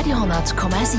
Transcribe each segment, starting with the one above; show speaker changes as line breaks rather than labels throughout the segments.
Radio 10,7.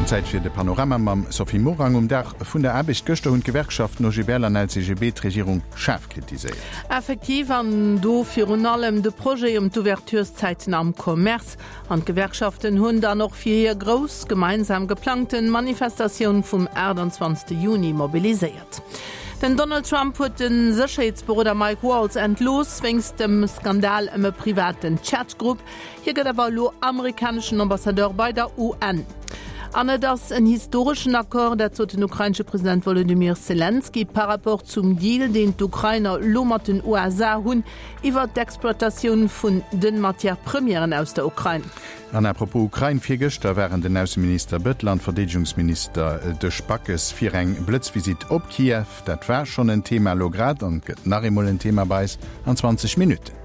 Zäit fir de Panorama mam Sophie Morang. Um Dag vun der Aarbecht gëschter hunn d'Gewerkschaften OGBL an LCGB d'Regierung schaarf kritiséiert.
Effektiv, an do virun allem de Projet ëm d'Ouvertureszäiten am Commerce. An d'Gewerkschaften hunn dann och fir hir grouss gemeinsam geplangten Manifestatioun vum 28 Juni mobiliséiert. Den Donald Trump huet de Sécherheetsberoder Mike Waltz entlooss wéinst dem Skandal ëm e privaten Chat-Grupp. Hie gëtt awer elo amerikaneschen Ambassadeur bei der UN. An et ass en historeschen Accord, dat sot den ukrainesche President Wolodymyr Selenskyj par rapport zum Deal, deen d'Ukrainer elo mat den USA hunn iwwert d'Exploitatioun vun de Matière-premièren aus der Ukrain.
An à propos Ukrain, Virgëschter waren den Ausseminister Bettel an d'Verdeedegungsminister Desch Backes fir eng Blëtzvisitt op Kiew. Dat war schonn en Thema elo grad an gëtt nach eemol en Thema bei eis an 20 Minutten.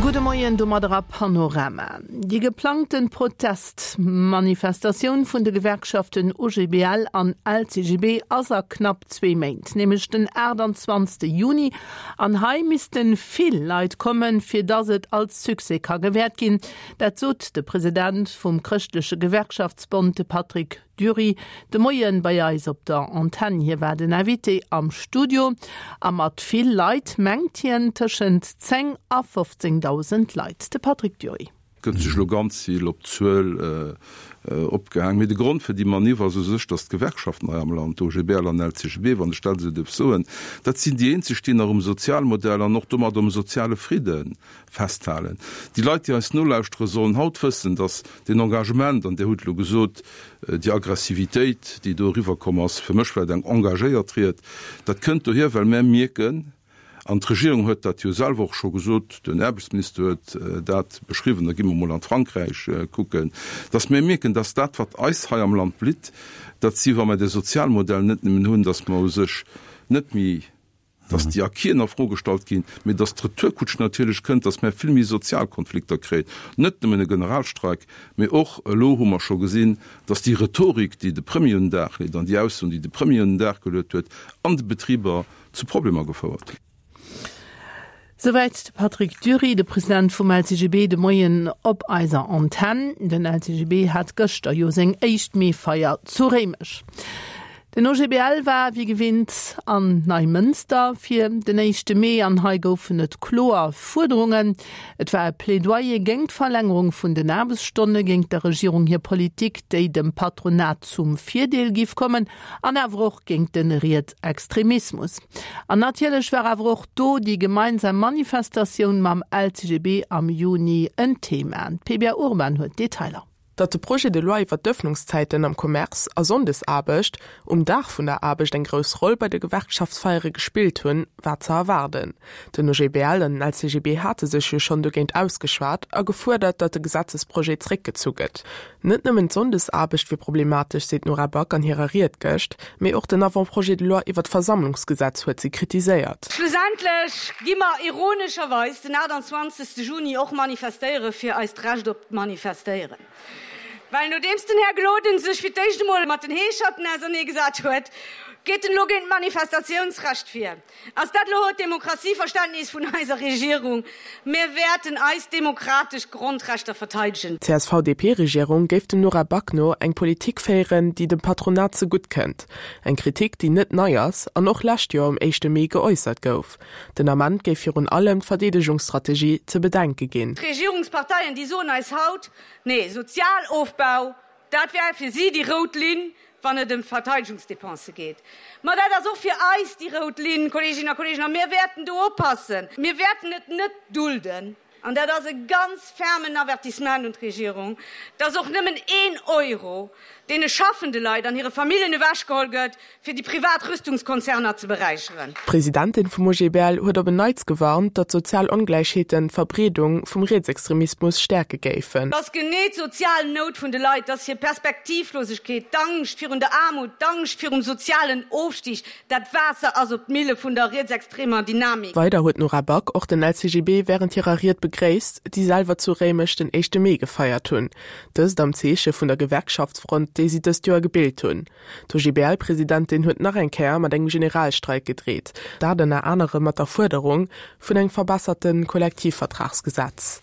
Gudde Moien domadder a Panorama. Déi geplangten Protestmanifestatioun vun de Gewerkschaften OGBL an LCGB ass a knapp zwee Méint, nämlech den 28 Juni. An hei missten vill Leit kommen, fir dass et als Succès ka gewäert ginn. Dat sot de President vum Chrëschtleche Gewerkschaftsbond, de Patrick Dury, de Moien bei eis op der Antenn. Hie war den Invité am Studio. A mat vill Leit mengt hien tëschent 10 a 15.000 Leit. De Patrick Dury.
Gëtt sech elo ganz vill op d'Zuel opgehaang. Mee de Grond fir déi Maniff ass u sech, datt d'Gewerkschaften hei am Land, OGBL an LCGB, wann ech dat esou dierf soen, dat sinn déi eenzeg, déi nach um Sozialmodell an och domat um soziale Fridde festhalen. Déi Leit, déi eis nolauschtere sollen haut wëssen, datt deen Engagement, an Dir hutt elo gesot, déi Aggressivitéit, déi do eriwwerkomm ass, fir mech war et eng engagéiert Ried, dat kënnt dohier, well mär mierken, An d'Regierung huet dat jo selwer och scho gesot, den Aarbechtsminister huet dat beschriwwen, da gi mer emol an d'Frankräich kucken, dass mir mierken, dass dat, wat eis hei am Land blitt, dat si wa mer de Sozialmodell net nëmmen hunn, dass mer u sech net méi, dass déi Acquisen a Fro gestallt ginn, mee dass d'Retourkutsch natierlech kënnt, dass mer vill méi sozial Konflikter kréien, net nëmmen e Generalstreik, mee och, elo hu mer scho gesinn, dass déi Rhetorik, déi de Premier un den Dag leet an déi Aussoen, déi de Premier un den Dag geluet huet an de Betriber, zu Problemer gefouert hunn.
Souwäit de Patrick Dury, de President vum LCGB, de Moien op eiser Antenn. Den LCGB hat gëschter jo seng éischt Meefeier zu Réimech. Den OGBL war wéi gewinnt an Neimënster fir den éischte Mee an hei goufen et kloer Fuerderungen. Et war e Plädoyer géingt d'Verlängerung vun den Aarbechtsstonne, géingt der Regierung hir Politik, déi dem Patronat zum Virdeel giff kommen An awer och géint de Rietsextremismus. An natierlech war awer och do déi gemeinsam Manifestatioun mam LCGB am Juni en Thema. D'Pebia Urban huet d'Detailer.
Datt de Projet de loi iwwer d'Ëffnungszäiten am Commerce a Sonndesaarbecht um Dag vun der Aarbecht eng grouss Roll bei de Gewerkschaftsfeiere gespillt hunn, war ze erwaarden. Den OGBL an den LCGB hate sech jo schonn dogéint ausgeschwat a gefuerdert, datt de Gesetzesprojet zréckgezu gëtt. Net nëmmen d'Sonndesaarbecht wier problematesch, seet d'Nora Back an hirer Ried gëscht, mee och den Avant-projet de loi iwwer d'Versammlungsgesetz huet si kritiséiert.
Schlussendlech gi mer ironescherweis den 28. Juni och manifestéiere fir eist Recht op d'Manifestéieren. Well nodeems den Här Gloden sech fir d'éischt emol mat den Heescherten auserneegesat huet, geet en elo géint d'Manifestatiounsrecht vir. Ass dat elo d'Demokratieverständnis vun eiser Regierung? Mir wäerten eis demokratesch Grondrechter verteidegen.
D'CSV-DP-Regierung géif dem Nora Back no eng Politik féieren, déi dem Patronat zegutt kënnt. Eng Kritik, déi net nei ass an och lescht Joer um éischte Mee geäussert gouf. Den Ament géif virun allem d'Verdeedegungsstrategie ze bedenke ginn.
D'Regierungsparteien, déi soen eis haut, Nee, Sozialofbau, Dat wär fir si déi rout Linn, wann et ëm d'Verteidegungsdepensë geet. Ma dat ass och fir eis déi rout Linn, Kolleeginnen a Kolleegen, a mir wäerten do oppassen. Mir wäerten et net dulden, an dat ass e ganz fermen Avertissement un d'Regierung, dass och nëmmen een Euro deene schaffende Leit an hire Familljen ewechgeholl gëtt, fir déi privat Rüstungskonzerner ze beräicheren.
D'Presidentin vum OGBL huet op en Neits gewarnt, datt sozial Ongläichheeten d'Verbreedung vum Rietsextremismus stäerke géifen.
Dass genee d'sozial Nout vun de Leit, dass hir Perspektivlosegkeet, d'Angscht virun der Aarmut, d'Angscht virum sozialen Ofstig, dat Waasser ass op d'Mille vun der rietsextremer Dynamik.
Weider huet d'Nora Back och den LCGB wärend hirer Ried begréisst, déi selwer zu Réimech den éischte Mee gefeiert hunn. Dëst am Zeeche vun der Gewerkschaftsfront. déi si dëst Joer gebilt hunn. D'OGBL-Presidentin huet nach eng Kéier mat engem Generalstreik gedreet, dat ënner anerem mat der Fuerderung vun engem verbesserte Kollektivvertragsgesetz.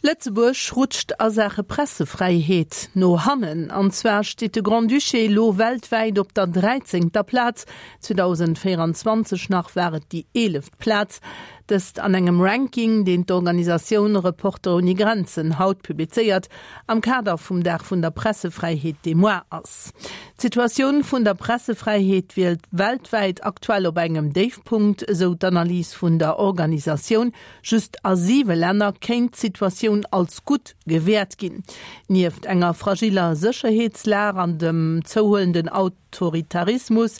Lëtzebuerg rutscht a Saache Pressefräiheet no hannen. An zwar steet de Grand-Duché elo weltwäit op der dräizéngter Plaz, 2024 nach war et déi eeleft Plaz. Dëst an engem Ranking, deen d'Organisatioun Reporter ouni Grenzen haut publizéiert, am Kader vum Dag vun der Pressefräiheet, dee moar ass. D'Situatioun vun der Pressefräiheet wier weltwäit aktuell op engem Déifpunkt, esou d'Analys vun der Organisatioun. Just a siwe Länner kéint d'Situatioun als gutt gewäert ginn. Nieft enger fragiller Sécherheetslag an dem zouhuelenden Autoritarismus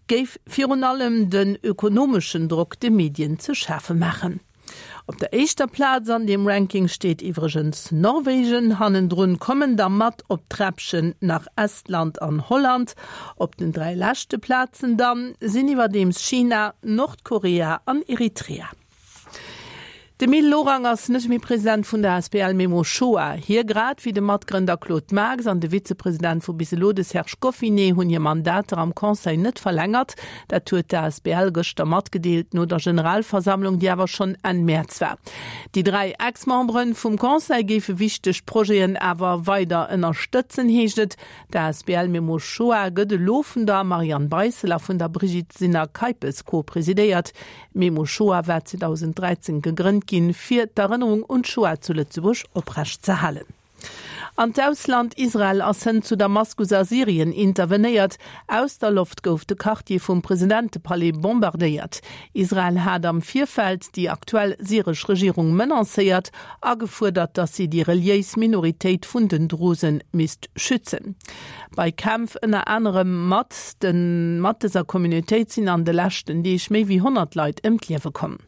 géif virun allem den ökonomeschen Drock de Medien ze schafe maachen. Op der éischter Plaz an deem Ranking steet iwwregens Norwegen, hannendrun kommen da mat op d'Träppchen nach Estland an Holland. Op den 3 leschte Plazen dann sinn iwwerdeems China, Nordkorea an Eritrea. De Mil Lorang ass net méi President vun der asbl Memo Shoah. Hie grad wéi de Matgrënder Claude Marx an de Vizepresident vu bis elo, de Serge Goffinet, hunn hir Mandater am Conseil net verlängert. Dat huet d'asbl gëschter matgedeelt no der Generalversammlung, déi awer schonn Enn Mäerz war. Déi 3 Ex-Membere vum Conseil géife wichteg Projeten awer weider ënnerstëtzen, heescht et. D'asbl Memo Shoah gëtt elo vun der Marianne Beissel a vun der Brigitte Sinner-Keipes co-presidéiert. D'Memo Shoah war 2013 gegrënnt ginn, fir d'Erënnerung un d'Shoah zu Lëtzebuerg oprecht ze halen. An d'Ausland, Israel ass hënt zu Damaskus a Syrien intervenéiert. Aus der Loft gouf de Quartier vum Presidentepalais bombardéiert. Israel hat am Virfeld déi aktuell syresch Regierung menacéiert a gefuerdert, datt si déi reliéis Minoritéit vun den Drusen misst schützen. Bei Kämpf ënner anerem mat de mat dëser Communautéit sinn an de leschten Deeg méi wéi 100 Leit ëm d'Liewe komm.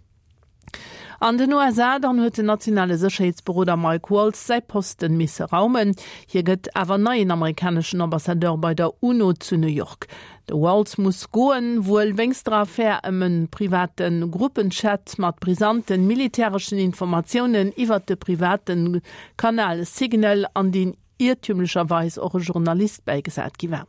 An den USA dann huet den nationale Sécherheetsberoder Mike Waltz säi Posten misse raumen. Hie gëtt awer neien amerikaneschen Ambassadeur bei der UNO zu New York. De Waltz muss goen, wuel wéinst der Affär ëm e private Gruppenchat mat brisanten militäreschen Informatiounen iwwert de private Kanal Signal an deen iertümlecherweis och e Journalist bäigesat gi war.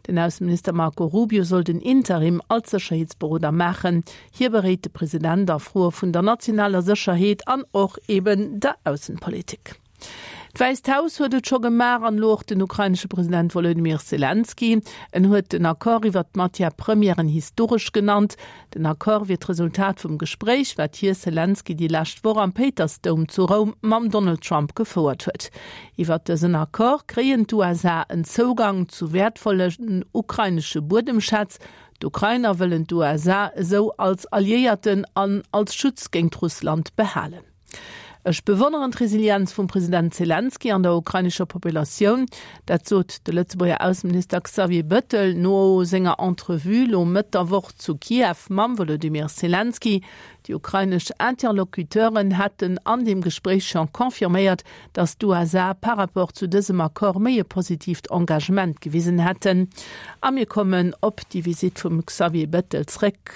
Den Ausseminister Marco Rubio soll den Interim als Sécherheetsberoder maachen. Hie beréit de President a Froe vun der nationaler Sécherheet an och eben der Aussenpolitik. D'Wäisst Haus huet et scho gemaach an elo och den ukrainesche President Wolodymyr Selenskyj. En huet den Accord iwwert d'Matière-premièren historesch genannt. Den Accord wier d'Resultat vum Gespréich, wat hie, Selenskyj, déi lescht Woch am Péitersdoum zu Roum mam Donald Trump gefouert huet. Iwwert dësen Accord kréien d'USA en Zougang zu wäertvollen ukrainesche Buedemschätz. D'Ukrainer wëllen d'USA esou als Alliéierten an als Schutz géint Russland behalen. Ech bewonneren d'Resilienz vum President Selenskyj an der ukrainescher Populatioun. Dat sot de Lëtzebuerger Ausseminister Xavier Bettel no senger Entrevue lo Mëtt der Woch zu Kiew mam Wolodymyr Selenskyj. Déi ukrainesch Interlocuteuren hätten an deem Gespréich scho confirméiert, datt d'USA par rapport zu dësem Accord méi e positiivt Engagement gewisen hätten. A mir kommen op déi Visitt vum Xavier Bettel zréck.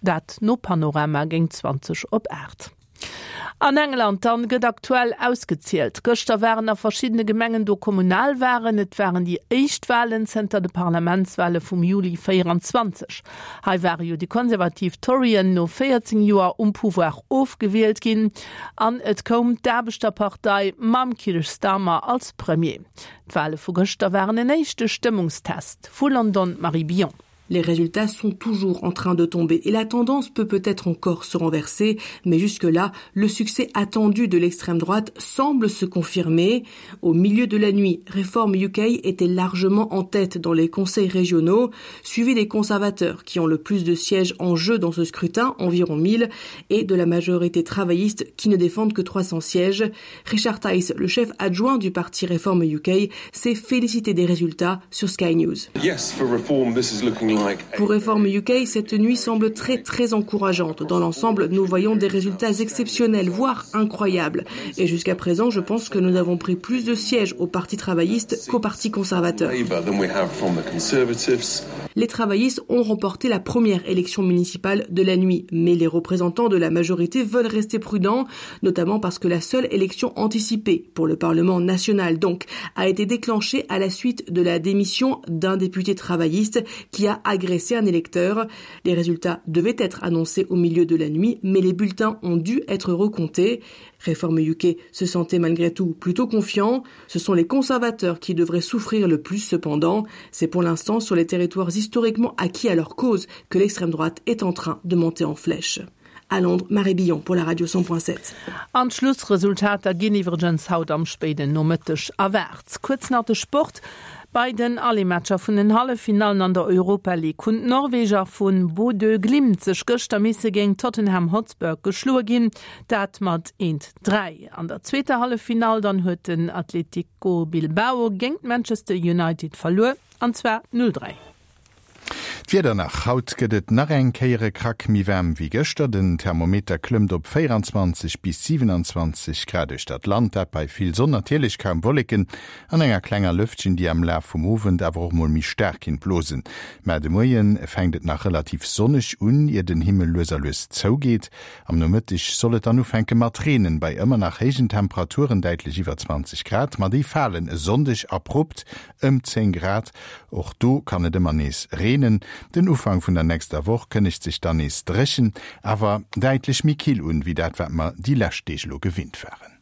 Dat no Panorama géint 20 op 8. An England dann gëtt aktuell ausgezielt. Gëschter waren a verschiddene Gemengen do Kommunalwalen. Et waren déi éischt Walen zënter de Parlamentswale vum Juli 24. Hei ware jo déi konservativ Torien no 14 Joer um Pouvoir ofgewielt ginn an et koum d'Aarbechterpartei mam Keir Starmer als Premier. D'Wale vu gëschter waren en éischte Stëmmungstest. Vu London d'Marie Billon.
Les résultats sont toujours en train de tomber et la tendance peut peut-être encore se renverser, mais jusque-là, le succès attendu de l'extrême droite semble se confirmer. Au milieu de la nuit, Reform UK était largement en tête dans les conseils régionaux, suivi des conservateurs qui ont le plus de sièges en jeu dans ce scrutin, environ 1000, et de la majorité travailliste qui ne défendent que 300 sièges. Richard Tice, le chef adjoint du parti Reform UK, s'est félicité des résultats sur Sky News.
Yes, for reform, this is looking like
Pour Reform UK, cette nuit semble très très encourageante. Dans l'ensemble, nous voyons des résultats exceptionnels, voire incroyables. Et jusqu'à présent, je pense que nous avons pris plus de sièges au Parti travailliste qu'au Parti conservateur. Les travaillistes ont remporté la première élection municipale de la nuit, mais les représentants de la majorité veulent rester prudents, notamment parce que la seule élection anticipée pour le Parlement national donc a été déclenchée à la suite de la démission d'un député travailliste qui a agressé un électeur. Les résultats devaient être annoncés au milieu de la nuit, mais les bulletins ont dû être recomptés. Réforme UK se sentait malgré tout plutôt confiant. Ce sont les conservateurs qui devraient souffrir le plus cependant. C'est pour l'instant sur les territoires historiquement acquis à leur cause que l'extrême droite est en train de monter en flèche. À Londres, Marie Billon pour la radio 100.7.
An d'Schlussresultater ginn iwwregens haut am spéiden Nomëtteg erwaart. Kuerz nach de Sport, Bei den Aller-Matcher vun den Halleffinallen an der Europa League hunn d'Norweger vu Bodø Glimt sech gëschter misse géint Tottenham Hotspur geschloe ginn, dat mat 1, 3. An der zweeter Halleffinall dann huet den Atletico Bilbao géint Manchester United verluer, an zwar 0, 3.
D'Wieder nach, Haut gëtt et nach eng Kéier e Krack méi waarm wéi gëschter. Den Thermometer klëmmt op 24 bis 27 Grad uechter d'Land, dat bei vill Sonn, natierlech kaum Wolleken an enger klenger Lëftchen, déi am Laf vum Owend awer och mol méi staark kinnt blosen. Mä de Moie fänkt et nach relativ sonneg un, ier den Himmel lues a lues zougeet. Am Nomëtteg soll et dann ufänke mat reenen, bei ëmmer nach héijen Temperaturen, däitlech iwwer 20 Grad, ma déi falen e Sonndeg abrupt Ëm 10 Grad, och do kann et ëmmer nees reenen. Den Ufank vun der nächster Woch kënnegt sech dann nees dréchen, awer däitlech méi kill un, wéi dat wat mer déi lescht Deeg elo gewinnt waren.